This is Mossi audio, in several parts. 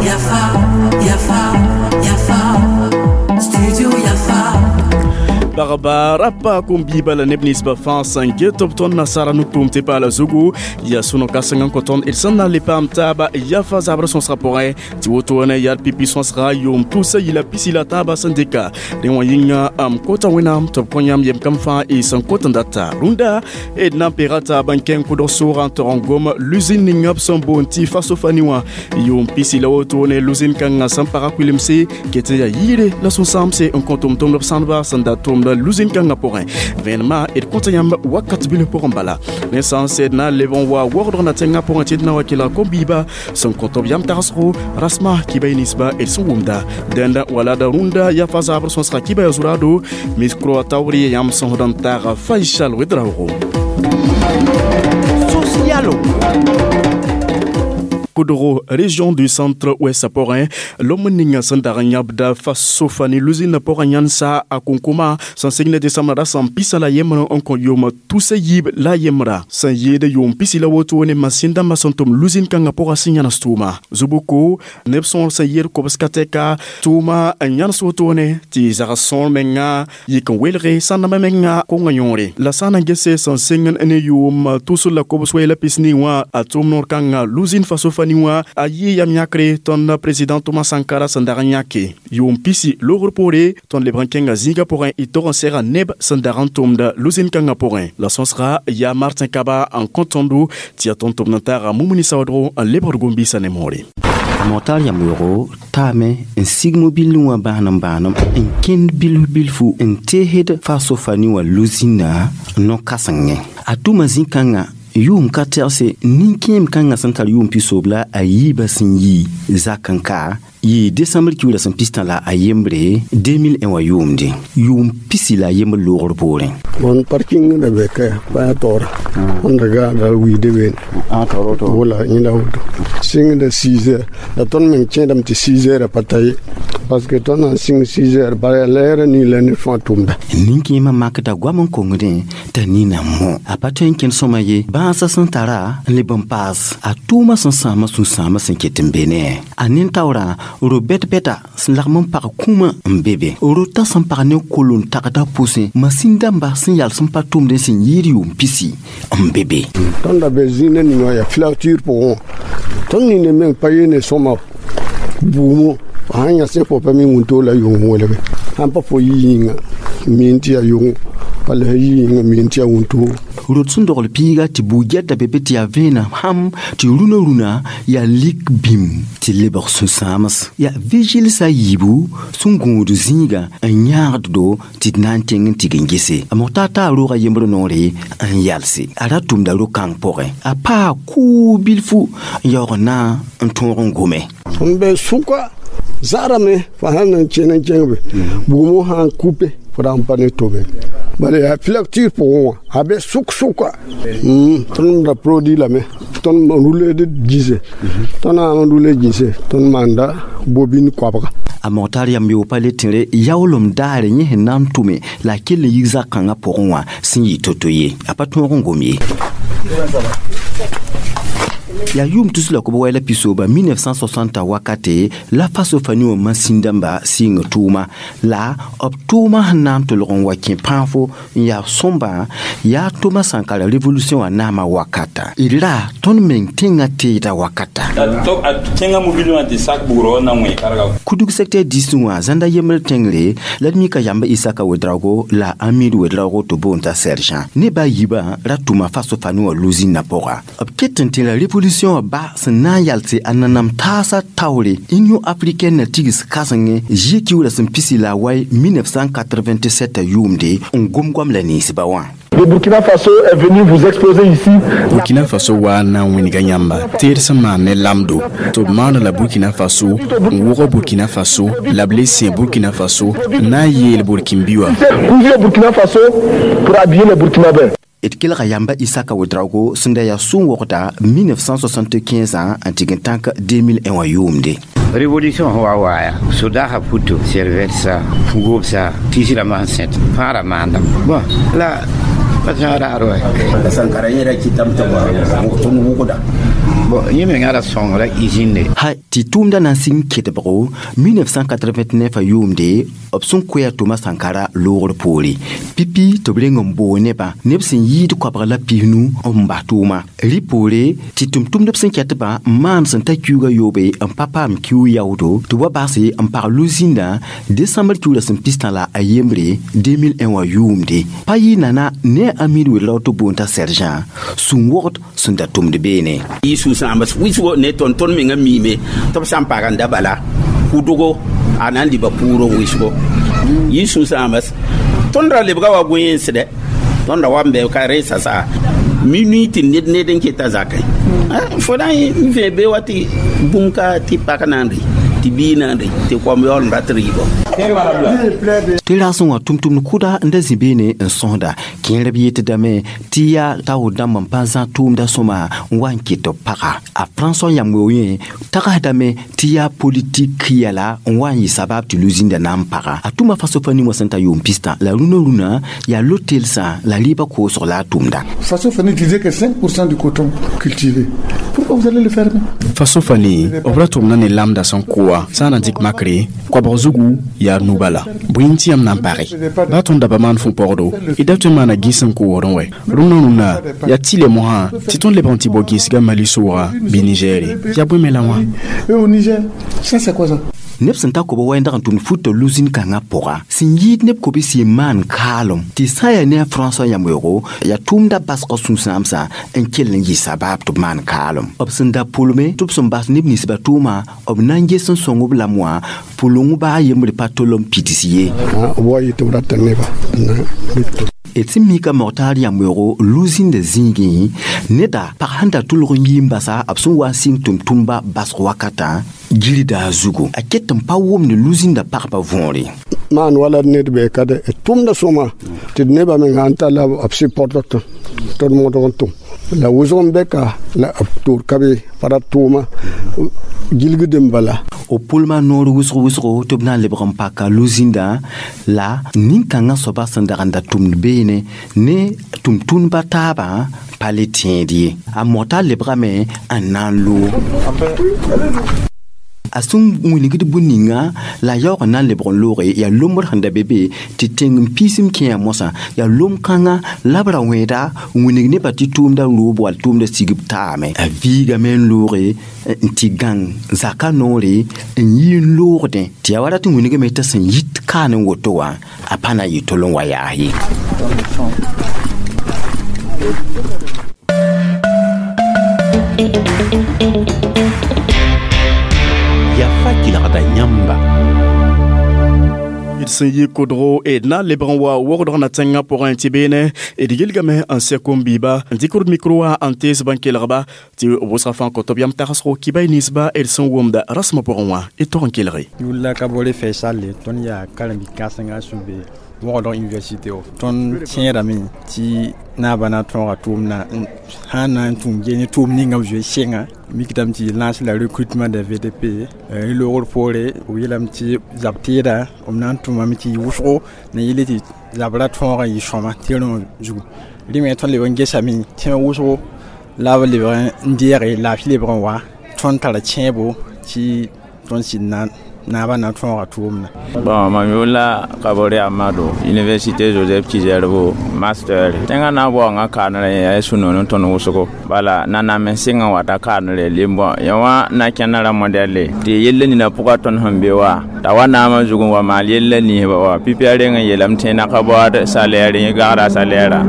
Yafa, Yafa, Yafa, Studio Yafa. Bagba rapa kom-biiba la neb ninsbã fãa sẽn get b tõnd nasaara no-tʋʋm tɩ paala zugu yaa sũ-no-kãseng n kõ tõnd d sẽn na n le paam taaba yafa zabrã sõsgã pʋgẽ tɩ wotone yaa d pipi sõsga yʋʋm tusa yila pisi la taaba sẽn dɩka rẽ wã yĩnga m kota Wẽnnaam tɩ b kõ yãmb yem kam fãa y sẽn kot n data rũndã d na n pega taab n kẽng kʋdg soogã n tog n gom luzin ninga b sẽn boond tɩ Fasofani wã yʋʋm pisi la wotone luzin kãngã sẽn paga kuilemse ket n yaa yɩɩre la sũ-sãamse n kõ tʋm-tʋmdb sãndba sẽn da tʋmda luzin kãngã pʋgẽ vẽenemã d kõta yãmb wakat bilf pʋgẽ bala ne sã n sed na n leb n wa waoogdg na tẽngã pʋgẽ tɩ d na wa kelg kom-biiba sẽn kõ tɩ b yam tagsgo rasma kiba y ninsba d sẽn wʋmda dẽnda wala da rũndã yafa zabr sõsga kiba ya zurado miskro taoor yãmb sõsd n taag Faisal Ouedraogo. Socialo. Kʋdgo région du centre ouest pʋgẽ lom ninga sẽn dag n yãbda Fasofani luzin pʋgẽ yãnsa a konkoma sẽn sɩng ne desãmbra ra sẽn pisa la yembr n kõ yʋʋm tusa yiib la yembra sẽn yɩɩd yʋʋm pisi la woto ne masĩn dãmbã sẽn tʋm luzin kãngã pʋgã sẽn yãnes tʋʋma zubuko neb sõor sẽn yed kobska tɛka tʋʋma n yãnes wotone tɩ zags sõor menga yik n welge sãndãmbã menga konga yõore la sã n na n gese sẽn sɩng ne yʋʋm tus la kobs wɛ la pisni wã a tʋʋm noor kãngã luzin Fasofani wã a yɩ yam yãkre tõnd président Thomas Sankara sẽn dag n yãke yʋʋm pisi logr poore tõnd lebg n kẽnga zĩigã pʋgẽ y tog n sɛga neb sẽn dag n tʋmda luzin kãngã pʋgẽ la sõsga yaa Martin Kaba n kõ tõndo tɩ yaa tõnd tʋmd n taaga Mumuni Saoodgo n lebgd gom-biisã ne moore. Motar yam-yoogo taame n sig mobil wã bãanem bãanem n kẽnd bilf bilfu n teesd Fasofani wã luzĩnã no-kãsengẽ a tʋma zĩ-kãngã yʋʋm ka tɛgse nin-kẽem kãngã sẽn tar yʋʋm pisoob la a yiibã sẽn yi zak n ka yɩ desãmbr kiuurã sẽn pistã la a yembre 2001 wã yʋʋmde yʋʋm pisi la a yembr loogr poorẽ. Bon parking da be kaya baya tora wanda ga da wi de ben wala ina woto sing da 6 heures la ton men kẽedame tɩ 6 heures pa ta ye parce que tõnd na n sɩng 6 heures bala lɛɛrã nii la ne fãa tʋmda. Nin-kẽemã makda goam n kongdẽ t'a nina mõ a pa tõe n kẽnd sõma ye bãasã sẽn tara n leb n paas a tʋʋmã sẽn sãamã sũ-sãamã sẽn ket n be ne a nin-taoorã ro-bɛt-bɛta sẽn lagm n pag kũumã n be be rota sẽn pag ne kol n tagda pʋsẽ masĩn dãmba sẽn yals n pa tʋmdẽ sẽn yɩɩd yʋʋm pisi n be be. Tõnd da be zĩig ne ning wã yaa filature pʋgẽ wã tõnd ning ne meng pa yee ne sõma buumo sãn yãs ne fo pa mi wũntoog la yʋng welge sãn pa fo yi yĩnga miin tɩ yaa yʋngo walla sã yi yĩnga miin tɩ yaa wũntoogo. Rot sẽn dogl piiga tɩ bug-gɛda be be tɩ yaa vẽenam sãm tɩ rũnã rũnã yaa lik bĩm tɩ lebg sũ-sãams yaa vigilsa a yiibu sẽn gũud zĩigã n yãagd-do tɩ d na n kẽng n tɩg n gese a Mogtaar taa roogã yembr noore n yalse a ra tʋmda ro-kãng pʋgẽ a paa kʋʋ bilfu n yaoog n na n tõog n gome. N be sʋka zarame fo sãn na n kẽn n kẽng be bugmo sã n kupe fo ra n pa ne tobe bala yaa filature pʋgẽ wã a be sʋk sʋka tõnd da produit lame tõnd ruled gĩse tõnd sã n rule gĩse tõnd maanda bobine koabga. A Mogtaar yam yoog pa le tẽre yaoolem daare yẽ sẽn na n tʋme la a kell n yik zak-kãngã pʋgẽ wã sẽn yɩ to-to ye a pa tõog n gom ye. Yaa yʋʋm tus la kob wɛ la pisooba 1960 wakate la Fasofani wã masĩn dãmba sɩng tʋʋma la b tʋʋmã sẽn na n tolg n wa kẽ pãafo n yaa sõmba yaa Thomas Sankara révolution wã naamã wakata d ra tõnd meng tẽngã teeda wakata. A kẽnga mobile wã tɩ sak bugrã na wẽ karga. Kudug secteur 10 wã zãnda yembr tẽngre la d mika yamba Isaka Ouedraogo la Amir Ouedraogo tɩ boond t'a sergent neba a yiibã ra tʋma Fasofani wã luzĩnã pʋga b ket n tẽ la révolution wã ba sẽn na n yals a nanam taasã taoore Union africaine na tigs kãsengẽ zie kiuurã sẽn pisi la a wai 1987 yʋʋmde n gom goam la ninsba wã. Le Burkina Faso est venu vous exposer ici. Burkina Faso wa na n wĩnga yãmba teed sẽn maan ne lamdo tɩ b maana la Burkina Faso n wʋg Burkina Faso la b le sẽ Burkina Faso n na n yeel Burkinbi wã. Cousu au Burkina Faso pour habiller les Burkinabés. D kelga yamba Isaka Ouedraogo sẽn da yaa sũ-wogda 1975 n tɩg n tãk 2001 wã yʋʋmde. Révolution wa waya sodaga puto servetsa fugobsa tisira man sẽt fãara maanda bon la Pa sã raar wa. Sankara yẽ ra kɩtame tɩ tõnd wʋgda. Bon, yẽ menga ra sõngra usine. Ha tɩ tʋʋmda na n sɩng kedbgo 1989 a yʋʋmde b sẽn koɛa Thomas Sankara loogr poore pipi tɩ b reng n boog nebã neb sẽn yɩɩd koabg la 15 n bas tʋʋma rɩ poore tɩ tʋm-tʋmdb sẽn kɛtbã n maan sẽn ta kiuugã yoobe n pa paam kiu yaoodo tɩ wa baase n pag lu-zĩndã décembre kiugrã sẽn pistã la a yembre 2001 wã yʋʋmde pa yɩ nana ne a Amid Ouédraogo tɩ boon t'a sergent sũ-wogd sẽn da tʋmd beene. Yɩ sũ-sãambs wɩsgo ne tõnd menga miime tɩ b sã n pag n da bala kudgo a na n liba pʋʋrg wɩsgo yɩ sũ-sãambs tõnd ra lebga wa goẽensdɛ tõnd ra wa n bɛ ka resa saa minuit tɩ ned ned n keta zakẽ fo na n vẽ be wa tɩ bũmb ka tɩ pak na n rɩ tɩ bii na n rɩ tɩ koam yaool n rat rɩɩbɔ. Tɩ rasẽ wã tʋm-tʋmd kʋda n da zĩ beene n sõsda kẽerb yetdame tɩ yaa taoor dãmb n pa zã tʋʋmda sõma n wa n ket b paga a François Yamweo yẽ tagsdame tɩ yaa politik yɛla n wa n yɩ sabab tɩ lu-zĩnda na n paga a tʋma Faso-Fani wã sẽn ta yʋʋm pistã la rũnã rũnã yaa lotelsã la rɩɩbã koosg la a tʋmda. Faso-Fani disait que 5% du coton cultivé. Pourquoi vous allez le fermer? Faso-Fani b ra tʋmda ne lamda sẽn koa sã n na dɩk makre koabg zugu yaa nu bala bõe n tɩ yãmb na n page baa tõnd da pa maan fũ-pɔgdo y da tõe n maana gĩs n koogdẽ wɛ rũnã rũnã yaa tɩ le mosã tɩ tõnd lebg n tɩ bao gĩsga Mali sʋʋga bɩ Nigɛre yaa bõe me la wã. Et au Niger, ça c'est quoi ça? Neb sẽn ta koba wɛndg n tʋmd futa lu-zĩn kãngã pʋga sẽn yɩɩd neb kobe-sɩ n maan kaalem tɩ sã n yaa ne a François Yamweoogo yaa tʋʋmda basgã sũ-sãamsã n kell n yɩ sabaab tɩ b maan kaalem b sẽn da pʋlme tɩ b sẽn bas neb ninsbã tʋʋma b na n ges n sõng b lame wã pʋleng baa yembre pa tol n pids ye. B wa yɩ tɩ b rata neba d sẽn mika Moctar Yamweoogo lu-zĩnda zĩigẽ neda pag sẽn da tʋlg n yɩ n basa b sẽn wa n sɩng tʋm-tʋmba basg wakatã gilda a zugu a ket n pa wʋmd lu-zĩnda pagba võore. Maan wala ned bee ka de tʋmda sõma tɩ d nebã meng sãn talla b supportd tɩ d modg n tʋm la wʋsg n bɛka la b toor ka be pa ra tʋʋma gilgd n bala. O pʋlma noor wʋsg wʋsgo tɩ b na n lebg n paka lu-zĩndã la nin-kãngã soaba sẽn dag n da tʋmd beene ne tʋm-tʋndba taabã pa le tẽed ye a Moctar lebgame n na n loog a sẽn wilgd bũn-ninga la yaoog n na n lebg n looge yaa lombr sẽn da be be tɩ tẽng n piisem kẽa mosã yaa lom-kãngã la b ra wẽeda n wilg nebã tɩ tʋʋmda roob wall tʋʋmda sigb taame a viigame n looge n tɩ gãng zaka noore n yi n loogdẽ tɩ yaa wa rat n wilgame t'a sẽn yit kaan n woto wã a pa na n yɩ tol n wa yaas ye. Yafa kelgda yãmba. D sẽn yɩ kodgo d na n lebg n wa wogdg na tẽngã pʋgẽ tɩ beene d gilgame n sɛ kom-biiba n dɩk d mikro wã n tees bãn kelgba tɩ wʋsga fãa kõt b yam tagsgo kibay ninsba d sẽn wʋmda rasmã pʋgẽ wã d tog n kelge. Yʋlla Kabore Faisal tõnd yaa karen-bi-kãsenga sẽn be wogdg université o tõnd tẽedame tɩ naabã na tõoga tʋʋmdã sã n na n tũum ge ne tʋʋm ninga b zoe sɩnga mikdame tɩ lance la recrutement des VDP loogr poore b yeelame tɩ zab teeda b na n tʋmame tɩ yɩ wʋsgo na yɩle tɩ zabra tõogã yɩ sõma tɩrẽ zugu rẽ me tõnd leb n gesame tẽeg wʋsgo la b lebg n deege laafɩ lebg n wa tõnd tara kẽebo tɩ tõnd sɩd na naabã na tõoga tʋʋmdã. Bon, mam yʋʋr la Kabore Amadou, Université Joseph Ki-Zerbo, master. Tẽngã na n baoongã kaanrẽ yaa sũ-noog ne tõnd wʋsgo. Bala nanam n sɩng n wata kaanrẽ lim-bõ yẽ wã na kẽnda ra modɛle tɩ yell nina pʋga tõnd sẽn be wa t'a wa naamã zug n wa maal yella ninsba wa pipi a reng n yeelame tɩ naka baood salaire yẽ gagda salaire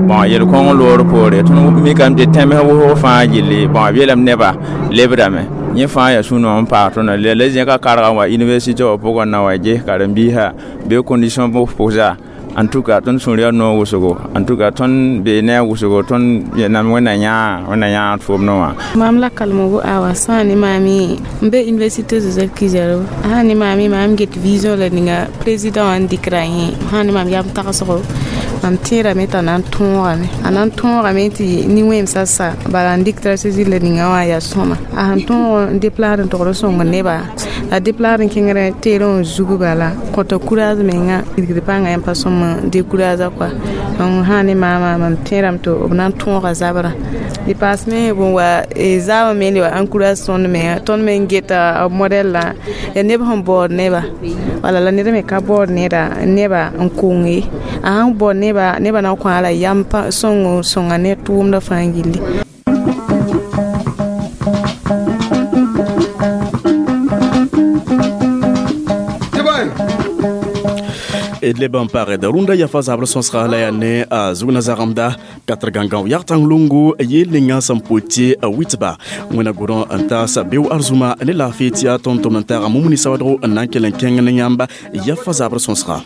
bon yel-kõng loor poore tõnd mikame tɩ tẽms wʋsg fãa gilli bon b yeelame nebã lebdame yẽ fãa yaa sũ-noog n paag tõndo la zẽka karga n wa université wã pʋgẽ na wa ges karen-biisã bee condition pʋsa en tout cas tõnd sũur yaa noog wʋsgo en tout cas tõnd bee ne a wʋsgo tõnd nam wẽnna yãag tʋʋmdẽ wã. Mam la kalmogo awa sã ne maame n be université Joseph Ki-Zerbo sã ne maame maam get vision la ninga président wã n dɩkra yẽ sã ne maam yam tagsgo mam tẽedame t'a na n tõogame a na n tõogame tɩ nin-wẽmsã sa bala n dɩk stratégie la ninga wã yaa sõma a sẽn tõog n déplacer n togd n sõng neba La déplacer n kẽngr teerẽ zug bala kõta courage menga wilgd pãnga yãmb pa sõm n décourage quoi. Donc sã ne maama mam tẽedame tɩ b na n tõoga zabrã dépassement bõn wa zaabã me le wa encourage tõnd menga tõnd me n geta b modɛl la ya neb sẽn baood neba wala la ned me ka baood neda neba n kong ye a sãn baood neba neba na n kõ la yam sõngo sõnga ne tʋʋmdã fãa gilli. D leb n pagd rũndã yafa zabr sõsga la yaa ne a zugna zagemda katr gãngã yag tãng lungu yeel ninga sẽn pʋ tɩ witba wẽna gʋdõ n taas beo arzũma ne laafɩ tɩ yaa tõnd tʋmd n taaga mumuni sawadgo n na n kell n kẽng ne yãmba yafa zabr sõsga.